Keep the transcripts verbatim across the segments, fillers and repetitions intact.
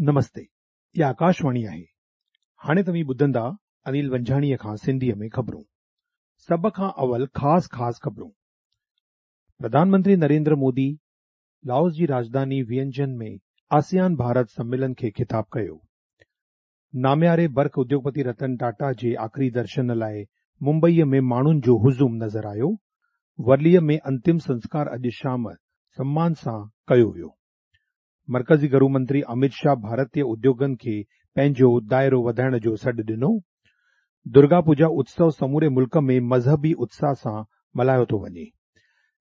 नमस्ते, इहा आकाशवाणी आहे। हाणे तव्हीं ॿुधंदा अनिल वंझाणीअ खां सिंधीअ में ख़बरूं। सभ खां अवल ख़ासि ख़ासि ख़बरूं। प्रधानमंत्री नरेंद्र मोदी लाओस जी राजधानी वियंजन में आसियान भारत सम्मेलन खे ख़िताब कयो। नामियारे बर्क़ उद्योगपति रतन टाटा जे आख़िरी दर्शन लाइ मुंबईअ में माण्हुनि जो हुजूम नज़र आयो। वरलीअ में अंतिम संस्कार अॼु शाम सम्मान सां कयो वियो। मर्कज़ी घरू मंत्री अमित शाह भारतीय उद्योगनि खे पंहिंजो दाइरो वधाइण जो सॾु ॾिनो। दुर्गा पूजा उत्सव समूरे मुल्क में मज़हबी उत्साह सां मल्हायो थो वञे।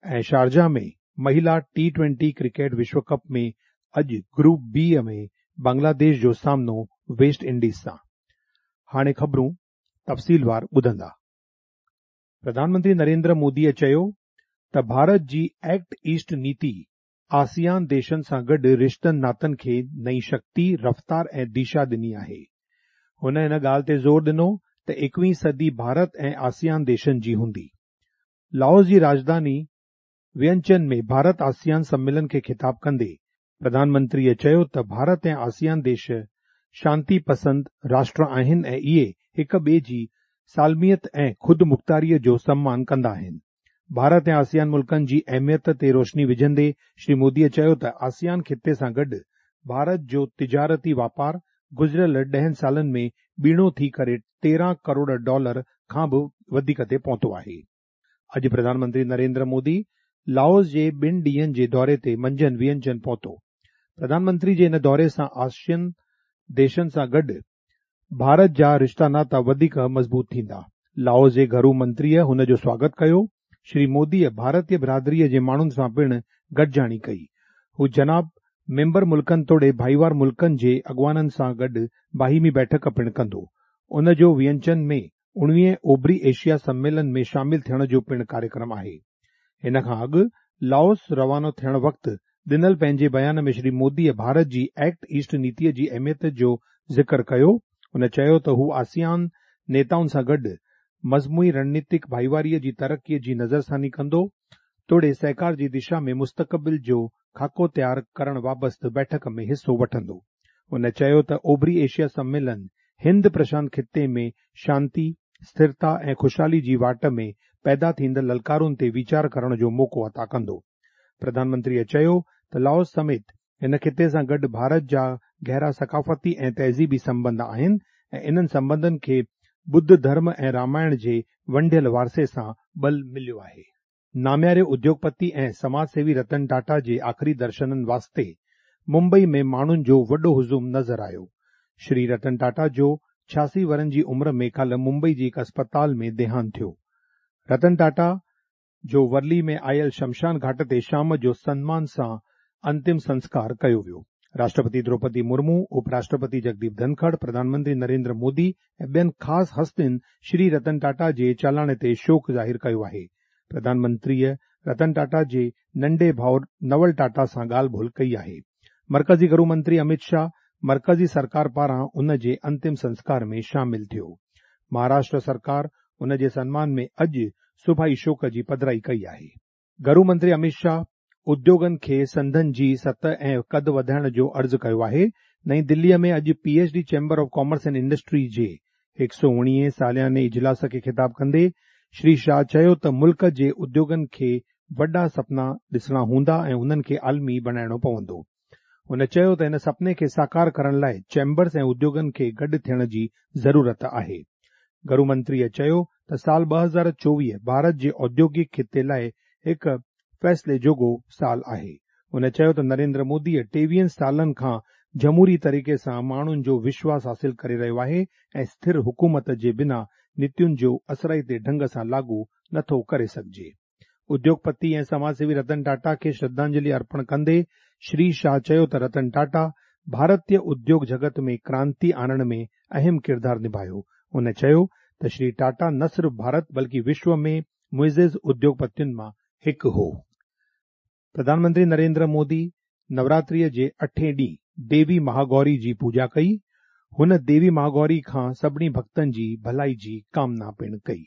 ऐं शारजाह में महिला टी ट्वेंटी क्रिकेट विश्व कप में अॼु ग्रुप बी में बांग्लादेश जो सामनो वेस्ट इंडीज़ सां। हाणे ख़बरूं तफ़सीलवार ॿुधंदा। प्रधानमंत्री नरेंद्र मोदीअ चयो त भारत जी एक्ट ईस्ट नीति आसियान देशनि सां गॾु रिश्तनि नातनि खे नई शक्ति, रफ़्तार ऐं दिशा ॾिनी आहे। हुन हिन ॻाल्हि ते ज़ोर ॾिनो त एकवीं सदी भारत ऐं आसियान देशनि जी हूंदी। लाओस जी राजधानी वियंचन में भारत आसियान सम्मेलन खे ख़िताब कंदे प्रधानमंत्रीअ चयो त भारत ऐं आसियान देश शांति पसंद राष्ट्र आहिनि ऐं इहे हिक ॿिए जी सालमियत ऐं ख़ुद मुख़्तारीअ जो सम्मान कंदा आहिनि। भारत ऐं आसियान मुल्कनि जी अहमियत ते रोशनी विझंदे श्री मोदीअ चयो त आसियान ख़िते सां गॾु भारत जो तिजारती वापार गुज़िरियल ॾहनि सालनि में ॿीणो थी करे तेरहं करोड़ डॉलर खां बि वधीक ते पहुतो आहे। अॼु प्रधानमंत्री नरेंद्र मोदी लाओस जे ॿिनि ॾींहंनि जे दौरे ते मंझंदि वियंचन पहुतो। प्रधानमंत्री जे इन दौरे सां आसियन देशनि सां गॾु भारत जा रिश्ता नाता वधीक मज़बूत थींदा। लाओस जे घरू मंत्रीअ हुन जो स्वागत कयो। श्री मोदीअ भारतीय बिरादरीअ जे माण्हुनि सां पिणु गॾिजाणी कई। हू जनाब मेंबर मुल्कनि तोड़े भाईवार मुल्कनि जे अॻुवाननि सां गॾु बाहिमी बैठक पिणु कंदो। उन जो वियंचन में उणिवीह ओभरी एशिया सम्मेलन में शामिल थियण जो पिणु कार्यक्रम आहे। हिन खां अॻु लाओस रवानो थियण वक़्तु ॾिनल पंहिंजे बयान में श्री मोदीअ भारत जी एक्ट ईस्ट नीतीअ जी अहमियत जो ज़िक्र कयो। हुन चयो त हू आसियान नेताउनि सां गॾु मजमूई रणनीतिक भाईवारीअ जी तरक़ीअ जी नज़रसानी कंदो तोड़े सहकार जी दिशा में मुस्तक़बिल जो खाको तयारु करण वाबस्ते बैठक में हिसो वठंदो। हुन चयो त ओभरी एशिया सम्मेलन हिंद प्रशांत ख़िते में शांति, स्थिरता ऐं ख़ुशहाली जी वाट में पैदा थींदड़ ललकारुनि ते वीचार करण जो मौक़ो अता कंदो। प्रधानमंत्रीअ चयो त लाओस समेत हिन ख़िते सां गॾु भारत जा गहरा सकाफ़ती ऐं तहज़ीबी संबंध आहिनि ऐं इन्हनि संबंधनि खे ॿुद्ध धर्म ऐं रामायण जे वंडियल वारसे सां बल मिलियो आहे। नामियारे उद्योगपति ऐं समाज सेवी रतन टाटा जे आख़िरी दर्शननि वास्ते मुंबई में माण्हुनि जो वॾो हुजूम नज़र आयो। श्री रतन टाटा जो छियासी वरनि जी उमिरि में काल्ह मुंबई जी हिकु अस्पताल में देहांत थियो। रतन टाटा जो वरली में आयल शमशान घाट ते शाम जो सम्मान सां अंतिम संस्कार कयो वियो। राष्ट्रपति द्रौपदी मुर्मू, उपराष्ट्रपति जगदीप धनखड़, प्रधानमंत्री नरेंद्र मोदी ऐं ॿियनि ख़ासि हस्तियुनि श्री रतन टाटा जे चालाणे ते शोक ज़ाहिर कयो आहे। प्रधानमंत्रीअ रतन टाटा जे नंढे भाउ नवल टाटा सां ॻाल्हि ॿोल कई आहे। मर्कज़ी घरू मंत्री अमित शाह मर्कज़ी सरकार पारां उन जे अंतिम संस्कार में शामिल थियो। महाराष्ट्र सरकार उन जे सम्मान में अॼु सुभाई शोक जी पधराई कई आहे। घरू मंत्री अमित शाह उद्योगनि खे संदनि जी सतह ऐं कद वधाइण जो अर्ज़ु कयो आहे। नई दिल्लीअ में अॼु P H D chamber of commerce and industry जे हिकु सौ उणिवीह सालियाने इजलास खे ख़िताब कंदे श्री शाह चयो त मुल्क जे उद्योगनि खे वॾा सपना ॾिसणा हूंदा ऐं उन्हनि खे आलमी बणाइणो पवंदो। हुन चयो त हिन सपने खे साकार करण लाइ चैम्बर्स ऐं उद्योगनि खे गॾु थियण जी ज़रूरत आहे। घरू मंत्रीअ चयो त साल ॿ हज़ार चोवीह भारत जे औद्योगिक ख़िते लाइ हिकु फ़ैसिले जोॻो साल आहे। हुन चयो त नरेंद्र मोदीअ टेवीहनि सालनि खां जमहूरी तरीक़े सां माण्हुनि जो विश्वास हासिल करे रहियो आहे ऐं स्थिर हुकूमत जे बिना नीतियुनि जो असराइते ढंग सां लागू नथो करे सघिजे। उद्योगपति ऐं समाज सेवी रतन टाटा खे श्रद्धांजलि अर्पण कंदे श्री शाह चयो त रतन टाटा भारतीय उद्योग जगत में क्रांति आणण में अहम किरदारु निभायो। हुन चयो त श्री टाटा न सिर्फ़ भारत बल्कि विश्व में मुइज़िज़ उद्योगपतियुनि मां हिकु हो। प्रधानमंत्री नरेंद्र मोदी नवरात्रीअ जे अठें ॾींहुं देवी महागौरी जी पूजा कई। हुन देवी महागौरी खां सभिनी भक्तनि जी भलाई जी कामना पिणु कई।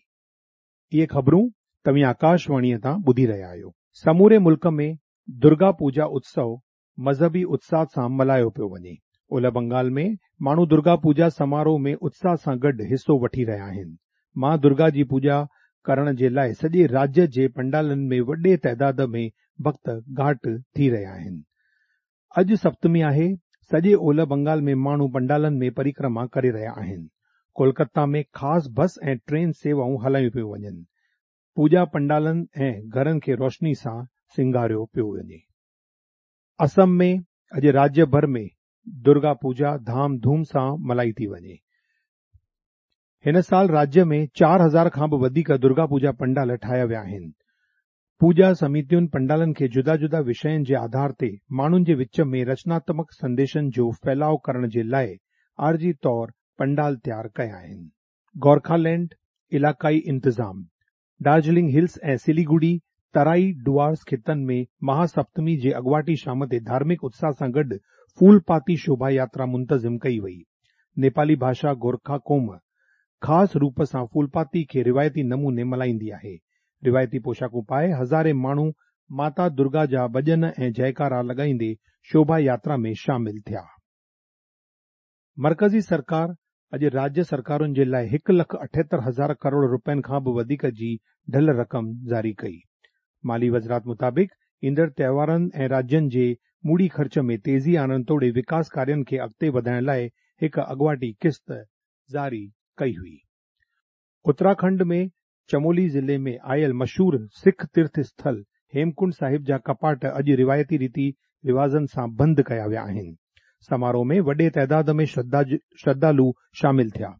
इहे ख़बरूं तव्हीं आकाशवाणीअ तां ॿुधी रहिया आहियो। समूरे मुल्क में दुर्गा पूजा उत्सव मज़हबी उत्साह सां मल्हायो पियो वञे। اولهه بنگال ۾ ماڻهو درگا پوڄا سماروهه ۾ اتساهه سان گڏ حصو وٺي رهيا آهن. مان درگا جي پوڄا ڪرڻ جي لاءِ سڄي راجيه جي پنڊالن ۾ وڏي تعداد ۾ ڀڳت گهاٽ ٿي رهيا آهن. اڄ سپتمي آهي. سڄي اولهه بنگال ۾ ماڻهو پنڊالن ۾ پرڪرما ڪري رهيا آهن. ڪولڪتا ۾ خاص بس ۽ ٽرين سيوائون هلايون پيون وڃن. پوڄا پنڊالن ۽ گهرن کي روشني سان سينگاريو پيو وڃي. اسم ۾ اڄ راجيه ڀر ۾ درگا پوڄا ڌام ڌوم سان ملهائي ٿي وڃي. هن سال راجيه ۾ چار هزار کان به وڌيڪ درگا پوڄا پنڊال ٺاهيا ويا آهن. پوڄا سمتين پنڊالن کي جدا جدا وشين جي آڌار تي ماڻهن جي وچ ۾ رچناتمڪ سنديشن جو ڦهلاءُ ڪرڻ جي لاءِ عارضي طور پنڊال تيار ڪيا آهن. گورکالينڊ علائقائي انتظام دارجلنگ هلز ۽ سليگڙي ترائي ڊوارس خطن ۾ مهاسپتمي جي اڳواٽي شام تي ڌارمڪ اتساهه سان گڏ ڦولپاتي شوڀا ياترا منتظم ڪئي وئي. نيپالي ڀاشا گورکا قوم خاص روپ سان ڦولپاتي کي روايتي نموني ملهائيندي آهي. روايتي پوشاڪون پائي هزارين ماڻهو ماتا درگا جا ڀڄن ۽ جئڪارا لڳائيندي شوڀا ياترا ۾ شامل ٿيا. مرڪزي سرڪار اڄ راجيه سرڪارن جي لاءِ هڪ لک اٺهتر هزار ڪروڙ رپين کان به وڌيڪ جي ڍل رقم جاري ڪئي. مالي وزارت مطابق ايندڙ تهوارن ۽ راجين جي موڙي خرچ ۾ تيزي آڻڻ توڙي وڪاس ڪارين کي اڳتي وڌائڻ لاءِ هڪ اڳواٽي قسط جاري ڪئي هئي. اتراکنڊ ۾ چمولي ضلعي ۾ آيل مشهور سک تيرٿ اسٿل هيمڪنڊ صاحب جا ڪپاٽ اڄ روايتي ريتي رواجن سان بند ڪيا ويا آهن. سماروهه ۾ وڏي تعداد ۾ شرڌالو شامل ٿيا.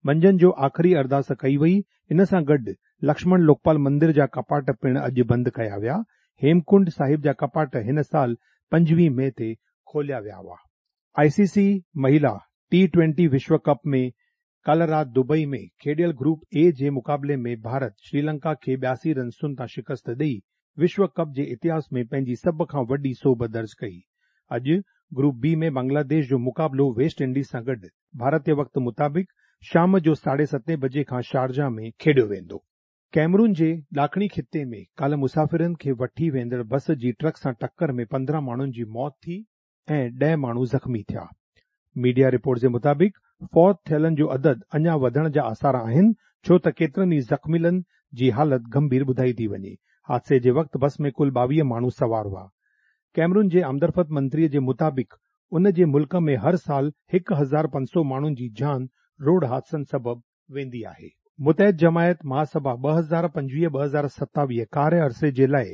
منجهند جو آخري ارداس ڪئي وئي. ان سان گڏ لڪشمڻ لوڪپال مندر جا ڪپاٽ پڻ اڄ بند ڪيا ويا. هيمڪنڊ صاحب جا ڪپاٽ هن سال پنجويهه مئي تي کوليا ويا هئا. آئي سي سي مهلا ٽي ٽوئنٽي وشو ڪپ ۾ ڪالهه رات دبئي ۾ کيڏيل گروپ اي جي مقابلي ۾ ڀارت شريلنڪا کي ٻياسي رنسن تان شڪست ڏئي وشو ڪپ جي اتهاس ۾ پنهنجي سڀ کان وڏي سوڀ درج ڪئي. اڄ گروپ بي ۾ بنگلاديش جو مقابلو ويسٽ انڊيز سان گڏ ڀارتي وقت مطابق شام جو ساڍي ستين بجي کان شارجا ۾ کيڏيو ويندو. ڪيمرون جي ڏاکڻي خطي ۾ ڪالهه مسافرن کي وٺي ويندڙ بس جي ٽرڪ سان ٽڪر ۾ پندرهن ماڻهن جي موت ٿي ۽ ڏهه ماڻهو زخمي ٿيا. ميڊيا رپورٽ جي مطابق فوت ٿيلن جو عدد اڃا وڌڻ جا آثار آهن، ڇو ته ڪيترن ئي زخميلن جي حالت گنڀير ٻڌائي ٿي وڃي. حادثي جي وقت بس ۾ ڪل ٻاويهه ماڻهو سوار هئا. ڪيمرون جي آمدرفت منتريءَ جي مطابق ان جي ملڪ ۾ هر سال هڪ هزار پنج سؤ ماڻهن جي جان روڊ حادثن سبب ويندي آهي. متحد جماعت مهاسڀا ٻه هزار پنجويهه ٻه هزار ستاويهه ڪاريه عرصي جي لاءِ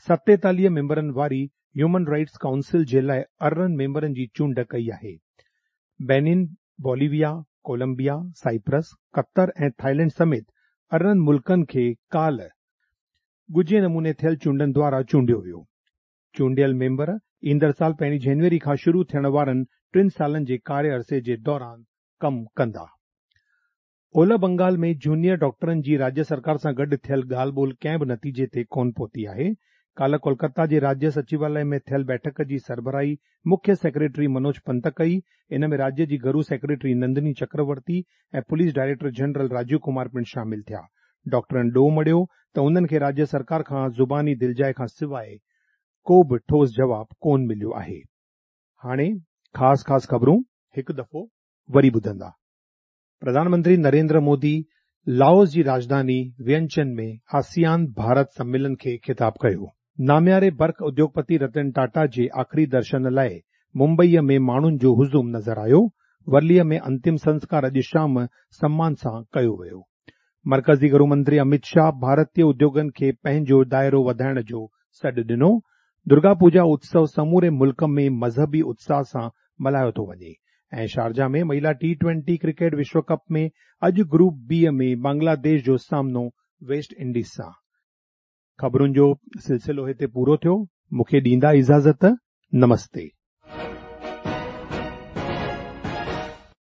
ستيتاليهه ميمبرن واري هيومن رائٽس ڪائونسل جي لاءِ ارڙهن ميمبرن جي چونڊ ڪئي آهي. Benin, Bolivia, Colombia, Cyprus, Qatar ۽ Thailand سميت ارڙهن ملڪن کي ڪالهه ڳجهي نموني ٿيل چونڊن دوارا چونڊيو ويو. چونڊيل ميمبر ايندڙ سال پهرين جنوري کان شروع ٿيڻ وارن ٽن سالن جي ڪاريه عرصي جي دوران ڪم ڪندا. اولهه بنگال ۾ جونيئر ڊاڪٽرن جي راجيه سرڪار سان گڏ ٿيل ڳالهه ٻولهه ڪنهن به نتيجي تي ڪونه پهتي آهي. ڪالهه ڪولڪتا جي راجيه سچواليه ۾ ٿيل بيٺڪ جي سربراهي مکيه سيڪريٽري منوج پنت ڪئي. ان ۾ راجيه جي گهرو secretary Nandini Chakraborty ۽ police director general Rajiv Kumar پڻ شامل ٿيا. ڊاڪٽرن ڏوهه مڙهيو ته انهن کي راجيه سرڪار کان زباني دلجاءِ کان سواءِ ڪو به ٺوس جواب ڪونه مليو آهي. هاڻي خاص خاص خبرون هڪ دفعو وري ٻڌندا. پرڌان منتري نريندر مودي لائوس جي راڄڌاني وينچن ۾ آسيان ڀارت سميلن کي خطاب ڪيو. نامياري برق اديوگپتي رتن ٽاٽا جي آخري درشن لاءِ ممبئيءَ ۾ ماڻهن جو هجوم نظر آيو. ورليءَ ۾ انتم سنسڪار اڄ شام سمان سان ڪيو ويو. مرڪزي گهرو منتري امت شاهه ڀارتيه اديوگن کي پنهنجو دائرو وڌائڻ جو سڏ ڏنو. درگا پوڄا اتسو سموري ملڪ ۾ مذهبي اتساهه سان ملهايو ٿو وڃي. ۽ شارجا ۾ مهلا ٽي ٽوئنٽي ڪرڪيٽ وشو ڪپ ۾ اڄ گروپ بي ۾ بنگلاديش جو سامنو ويسٽ انڊيز سان. خبرن جو سلسلو هتي پورو ٿيو. مون کي ڏيندا اجازت. نمستي.